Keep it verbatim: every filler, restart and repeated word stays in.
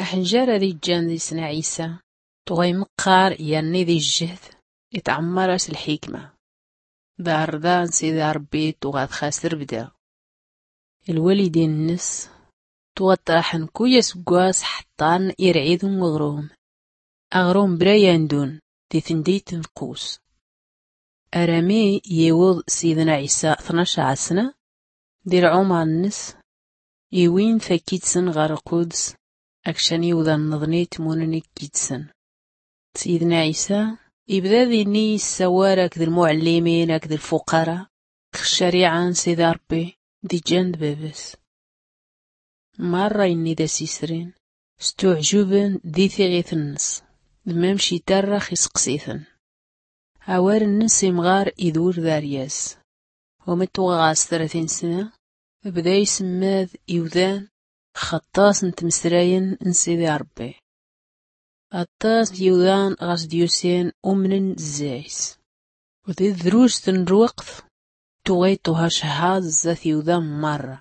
Ḥnjar ad-iǧǧan di-s n ɛisa tuɣa imeqqar yerni di-ǧǧehd, itɛemmar-as lḥikma. D-arḍa n-sidi ṛebbi tuɣa txas trbda. Lwalidin-nnes tuɣa ṭṭraḥen kuy asggwas ḥṭṭan irɛid n-uɣrum. Aɣrum bra yandun di-tndit n-qus. Arami yiwḍ sidna ɛisa tnac ɛasna di-lɛumar-nnes, iwin-t akkid-sen ɣer lquds akcan iwḍan-nneḍni tmunen akkid-sen. Sidna ɛisa ibda dinni issawar akked lmuɛellimin akked lfuqara ɣ-ccariɛa n-sidi ṛebbi d-iǧǧan d-baba-s. Marra inni d-as-isrin stuɛǧuben di-tiɣit-nnes, d-mamc itarrax iseqsi-ten. Awal-nnes imɣar idur d-aryas. Umettuɣ ɣas tratin sna bda isemmad iwdan ɣ-aṭṭas n-tmesrayen n-sidi ṛebbi. Aṭṭas n-iwdan ɣas d-yusin umnen zzay-s. Di-tdrust n-lweqt tuɣa ituha cehhaḍ zdat iwdan marra.